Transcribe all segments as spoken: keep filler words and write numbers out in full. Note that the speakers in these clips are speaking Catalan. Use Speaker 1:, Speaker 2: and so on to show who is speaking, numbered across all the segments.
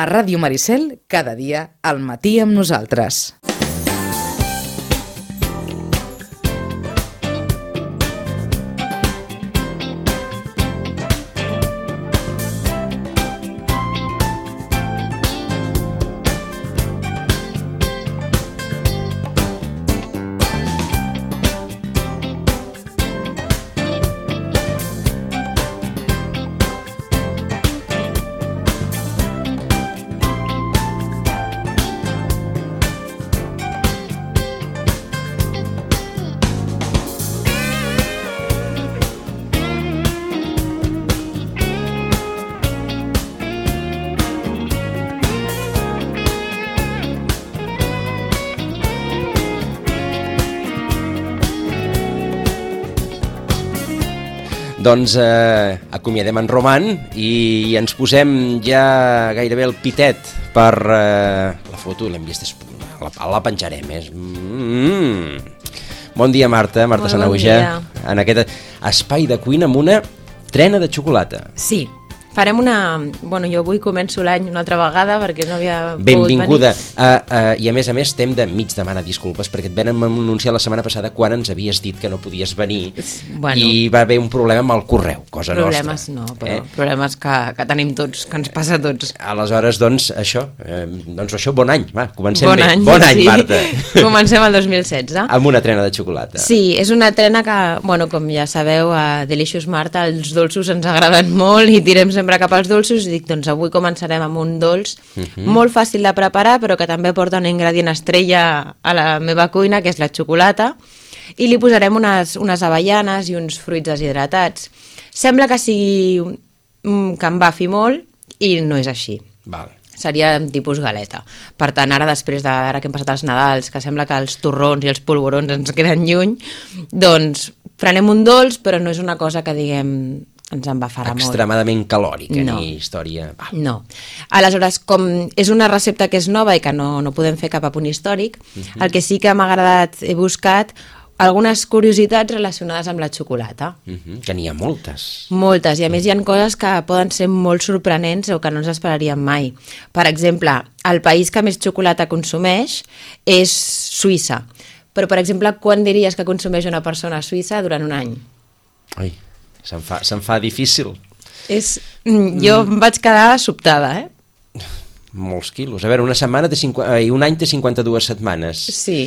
Speaker 1: A Ràdio Maricel, cada dia, al matí amb nosaltres.
Speaker 2: Doncs eh, acomiadem en Roman i ens posem ja gairebé el pitet per eh, la foto, l'hem vist, la, la penjarem. És... Mm. Bon dia, Marta, Marta Sanahuja, bon en aquest espai de cuina amb una trena de xocolata.
Speaker 3: Sí, farem una... Bueno, jo avui començo l'any una altra vegada perquè no havia
Speaker 2: Benvinguda. Uh, uh, I a més a més estem de mig demanar disculpes perquè et vam anunciar la setmana passada quan ens havies dit que no podies venir bueno, i va haver un problema amb el correu, cosa
Speaker 3: problemes
Speaker 2: nostra.
Speaker 3: No, però
Speaker 2: eh?
Speaker 3: problemes que, que tenim tots, que ens passa a tots.
Speaker 2: Aleshores, doncs, això, eh, doncs això, bon any, va, comencem
Speaker 3: bon
Speaker 2: bé.
Speaker 3: Any,
Speaker 2: bon any,
Speaker 3: sí.
Speaker 2: Marta.
Speaker 3: Comencem el dos mil setze.
Speaker 2: Amb una trena de xocolata.
Speaker 3: Sí, és una trena que, bueno, com ja sabeu, a Delicious Marta els dolços ens agraden molt i tirem sempre cap als dolços. I dic, doncs avui començarem amb un dolç uh-huh. molt fàcil de preparar, però que també porta un ingredient estrella a la meva cuina, que és la xocolata, i li posarem unes, unes avellanes i uns fruits deshidratats. Sembla que sigui que embafi molt i no és així.
Speaker 2: Val.
Speaker 3: Seria tipus galeta. Per tant, ara després de, ara que hem passat els Nadals, que sembla que els torrons i els polvorons ens queden lluny, doncs prenem un dolç, però no és una cosa que diguem... ens embafarà molt.
Speaker 2: Extremadament calòrica,
Speaker 3: no.
Speaker 2: ni història... Ah.
Speaker 3: No. Aleshores, com és una recepta que és nova i que no, no podem fer cap apunt històric, uh-huh. el que sí que m'ha agradat, he buscat algunes curiositats relacionades amb la xocolata.
Speaker 2: Uh-huh. Que n'hi ha moltes.
Speaker 3: Moltes, i a més hi ha coses que poden ser molt sorprenents o que no ens esperaríem mai. Per exemple, el país que més xocolata consumeix és Suïssa. Però, per exemple, quan diries que consumeix una persona a Suïssa durant un any?
Speaker 2: Ai... Se'n fa, se'n fa difícil.
Speaker 3: És, jo mm. vaig quedar sobtada, eh?
Speaker 2: Molts quilos. A veure, una setmana té cinquanta, eh, un any té cinquanta-dues setmanes.
Speaker 3: Sí.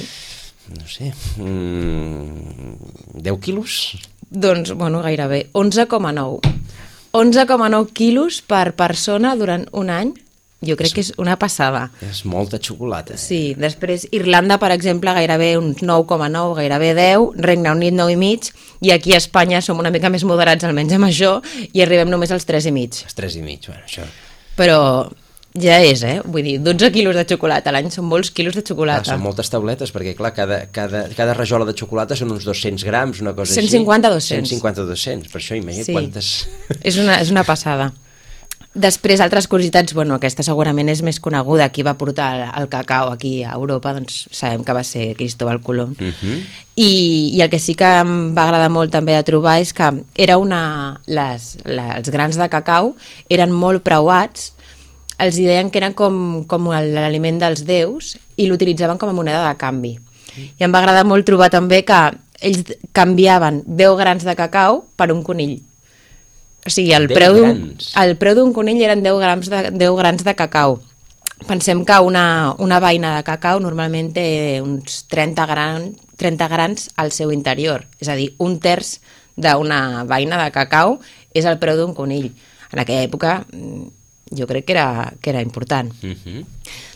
Speaker 2: No sé, mm, deu quilos?
Speaker 3: Doncs, bueno, gairebé. onze coma nou. onze coma nou quilos per persona durant un any. Jo crec és, que és una passada.
Speaker 2: És molta xocolata.
Speaker 3: Sí, després Irlanda, per exemple, gairebé uns nou coma nou, gairebé deu, Regne Unit nou i mig, i aquí a Espanya som una mica més moderats, almenys amb això, i arribem només als tres i mig.
Speaker 2: Els tres i mig, bueno, això...
Speaker 3: Però ja és, eh? Vull dir, dotze quilos de xocolata a l'any són molts quilos de xocolata.
Speaker 2: Ah, són moltes tauletes, perquè, clar, cada, cada, cada rajola de xocolata són uns dos-cents grams, una cosa
Speaker 3: cent cinquanta a
Speaker 2: així.
Speaker 3: dos-cents.
Speaker 2: cent cinquanta a dos-cents, per això imagina't
Speaker 3: sí.
Speaker 2: quantes...
Speaker 3: És una, és una passada. Després, altres curiositats, bueno, aquesta segurament és més coneguda, qui va portar el, el cacau aquí a Europa, doncs sabem que va ser Cristóbal Colom.
Speaker 2: Uh-huh.
Speaker 3: I, I el que sí que em va agradar molt també de trobar és que era una, les, les, els grans de cacau eren molt preuats, els deien que eren com, com l'aliment dels déus i l'utilitzaven com a moneda de canvi. I em va agradar molt trobar també que ells canviaven deu grans de cacau per un conill. O sigui, el preu d'un el preu d'un conill eren deu grams de, deu grans de cacau. Pensem que una, una beina de cacau normalment té uns trenta, gran, trenta grans al seu interior. És a dir, un terç d'una beina de cacau és el preu d'un conill. En aquella època jo crec que era, que era important. Uh-huh.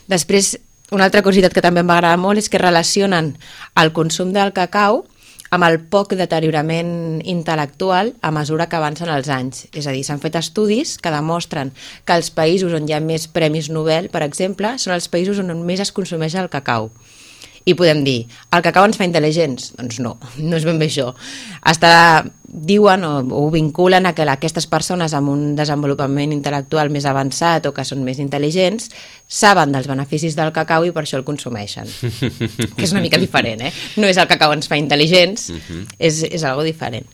Speaker 3: Després, una altra curiositat que també em va agradar molt és que relacionen el consum del cacau amb el poc deteriorament intel·lectual a mesura que avancen els anys. És a dir, s'han fet estudis que demostren que els països on hi ha més premis Nobel, per exemple, són els països on més es consumeix el cacau. I podem dir, el cacau ens fa intel·ligents? Doncs no, no és ben bé això. Està, diuen o, o vinculen a que aquestes persones amb un desenvolupament intel·lectual més avançat o que són més intel·ligents saben dels beneficis del cacau i per això el consumeixen. Que és una mica diferent, eh? No és el cacau ens fa intel·ligents, uh-huh. és, és algo diferent.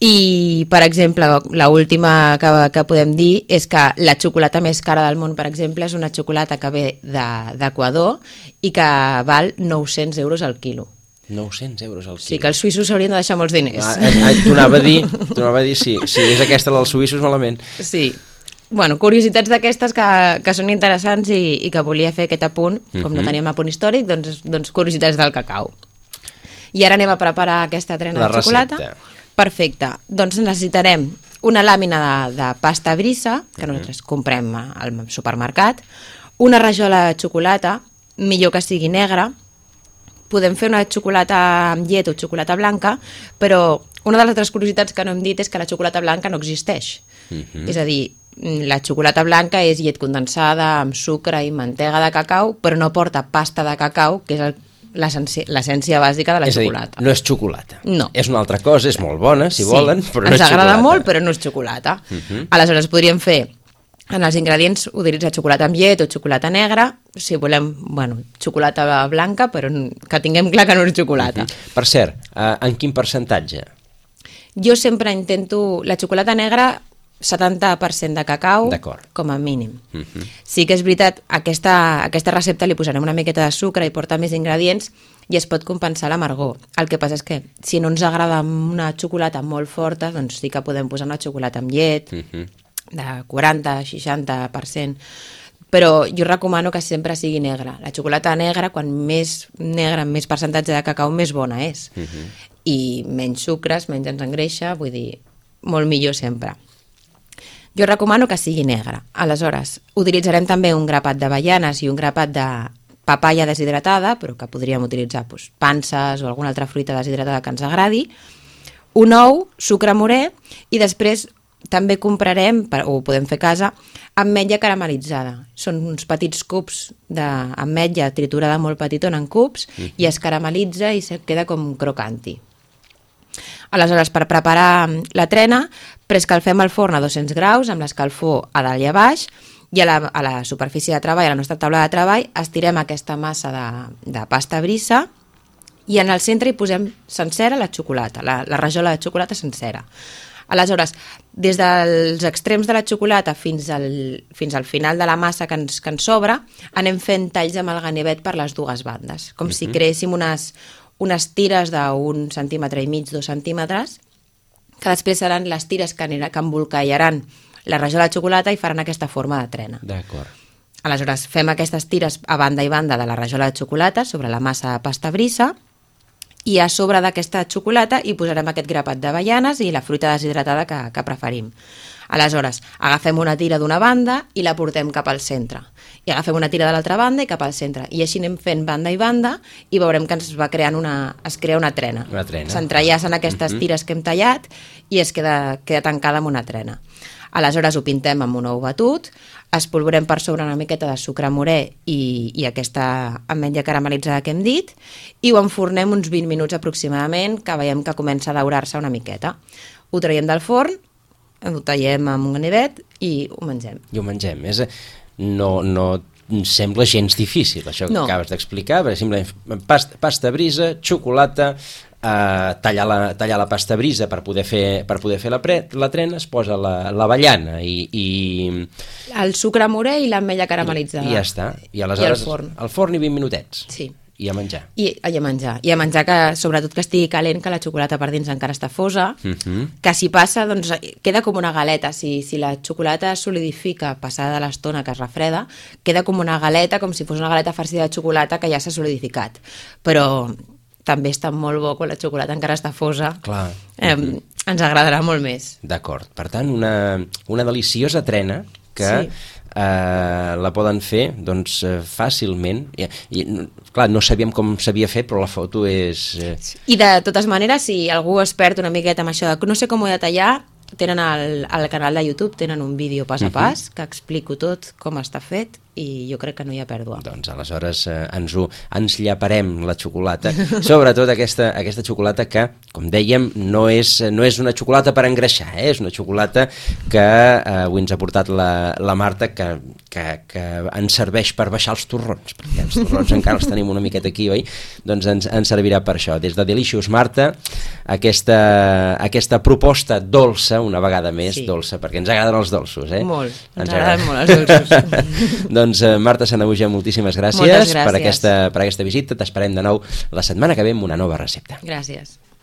Speaker 3: I, per exemple, l'última que, que podem dir és que la xocolata més cara del món, per exemple, és una xocolata que ve d'Equador i que val nou-cents euros al quilo.
Speaker 2: nou-cents euros al quilo.
Speaker 3: Sí, que els suïssos s'haurien de deixar molts diners.
Speaker 2: Ah, eh, T'ho anava a dir, t'ho anava a dir, sí, si és aquesta la dels suïssos, malament.
Speaker 3: Sí. Bueno, curiositats d'aquestes que, que són interessants i, i que volia fer aquest apunt, com uh-huh. no teníem apunt històric, doncs, doncs curiositats del cacau. I ara anem a preparar aquesta trena
Speaker 2: la
Speaker 3: de xocolata.
Speaker 2: recepta.
Speaker 3: Perfecte. Doncs necessitarem una làmina de, de pasta brisa, que nosaltres uh-huh. comprem al supermercat, una rajola de xocolata, millor que sigui negra. Podem fer una xocolata amb llet o xocolata blanca, però una de les altres curiositats que no hem dit és que la xocolata blanca no existeix. Uh-huh. És a dir, la xocolata blanca és llet condensada amb sucre i mantega de cacau, però no porta pasta de cacau, que és el, l'essència bàsica de la
Speaker 2: és
Speaker 3: xocolata.
Speaker 2: És a dir, no és xocolata.
Speaker 3: No.
Speaker 2: És una altra cosa, és molt bona, si
Speaker 3: sí.
Speaker 2: volen, però no
Speaker 3: Ens
Speaker 2: és xocolata.
Speaker 3: Ens agrada molt, però no és xocolata. Uh-huh. Aleshores, podríem fer en els ingredients utilitzar xocolata amb llet o xocolata negra, si volem, bueno, xocolata blanca, però que tinguem clar que no és xocolata.
Speaker 2: Uh-huh. Per cert, uh, en quin percentatge?
Speaker 3: Jo sempre intento la xocolata negra setanta per cent de cacau, com a mínim. Uh-huh. Sí que és veritat, aquesta, aquesta recepta li posarem una miqueta de sucre i porta més ingredients i es pot compensar l'amargor. El que passa és que si no ens agrada una xocolata molt forta, doncs sí que podem posar una xocolata amb llet, uh-huh. de quaranta a seixanta per cent, però jo recomano que sempre sigui negra. La xocolata negra, quan més negra, més percentatge de cacau, més bona és. Uh-huh. I menys sucres, menys ens engreixa, vull dir, molt millor sempre. Jo recomano que sigui negra. Aleshores, utilitzarem també un grapat d'avellanes i un grapat de papaya deshidratada, però que podríem utilitzar doncs, panses o alguna altra fruita deshidratada que ens agradi, un ou, sucre morè, i després també comprarem, o ho podem fer a casa, ametlla caramelitzada. Són uns petits cubs d'ametlla triturada molt petitona en cubs mm. i es caramelitza i se queda com crocanti. Aleshores, per preparar la trena, preescalfem el forn a dos-cents graus amb l'escalfor a dalt i a baix i a la, a la superfície de treball, a la nostra taula de treball, estirem aquesta massa de, de pasta brisa i en el centre hi posem sencera la xocolata, la, la rajola de xocolata sencera. Aleshores, des dels extrems de la xocolata fins al, fins al final de la massa que ens, que ens sobra, anem fent talls amb el ganivet per les dues bandes, com uh-huh. si creéssim unes, unes tires d'un centímetre i mig, dos centímetres, que després seran les tires que, anirà, que embolcallaran la rajola de xocolata i faran aquesta forma de trena.
Speaker 2: D'acord.
Speaker 3: Aleshores, fem aquestes tires a banda i banda de la rajola de xocolata sobre la massa de pasta brisa i a sobre d'aquesta xocolata hi posarem aquest grapat d'avellanes i la fruita deshidratada que, que preferim. Aleshores, agafem una tira d'una banda i la portem cap al centre. I agafem una tira de l'altra banda i cap al centre. I així anem fent banda i banda i veurem que ens va creant una, es crea una trena.
Speaker 2: Una trena.
Speaker 3: S'entrellacen aquestes uh-huh. tires que hem tallat i es queda, queda tancada amb una trena. Aleshores ho pintem amb un ou batut, espolvorem per sobre una miqueta de sucre morè i, i aquesta ametlla caramelitzada que hem dit i ho enfornem uns vint minuts aproximadament, que veiem que comença a daurar-se una miqueta. Ho traiem del forn, ho tallem amb un ganivet i ho mengem.
Speaker 2: I ho mengem. És, no, no sembla gens difícil, això que no. acabes d'explicar, perquè simplement pasta, pasta brisa, xocolata, eh, tallar, la, tallar la pasta brisa per poder fer, per poder fer la, pre, la trena, es posa l'avellana i, i...
Speaker 3: el sucre morè i l'ametlla caramelitzada.
Speaker 2: I, I ja està. I aleshores
Speaker 3: I al forn.
Speaker 2: Al forn i vint minutets.
Speaker 3: Sí.
Speaker 2: I a menjar.
Speaker 3: I, I a menjar. I a menjar que, sobretot que estigui calent, que la xocolata per dins encara està fosa, uh-huh. que si passa, doncs queda com una galeta. Si, si la xocolata es solidifica passada de l'estona que es refreda, queda com una galeta, com si fos una galeta farcida de xocolata que ja s'ha solidificat. Però també està molt bo quan la xocolata encara està fosa.
Speaker 2: Clar.
Speaker 3: Eh, uh-huh. Ens agradarà molt més.
Speaker 2: D'acord. Per tant, una, una deliciosa trena que sí. eh, la poden fer doncs, eh, fàcilment. I, i, clar, no sabíem com s'havia fet, però la foto és... Eh...
Speaker 3: I de totes maneres, si algú es perd una miqueta amb això de no sé com ho he de tallar, tenen al, al canal de YouTube, tenen un vídeo pas a pas, uh-huh. que explico tot com està fet i jo crec que no hi ha pèrdua.
Speaker 2: Doncs aleshores eh, ens, ho, ens llaparem la xocolata, sobretot aquesta, aquesta xocolata que, com dèiem, no és, no és una xocolata per engreixar, eh? És una xocolata que eh, avui ens ha portat la, la Marta, que, que, que ens serveix per baixar els torrons, perquè els torrons encara els tenim una miqueta aquí, oi? Doncs ens, ens servirà per això. Des de Delicious, Marta, aquesta, aquesta proposta dolça, una vegada més, sí. dolça, perquè ens agraden els dolços, eh?
Speaker 3: Molt, ens,
Speaker 2: ens
Speaker 3: agraden molt els dolços.
Speaker 2: Doncs eh, Marta Sanahuja, moltíssimes gràcies,
Speaker 3: gràcies.
Speaker 2: Per, aquesta, per aquesta visita. T'esperem de nou la setmana que ve amb una nova recepta.
Speaker 3: Gràcies.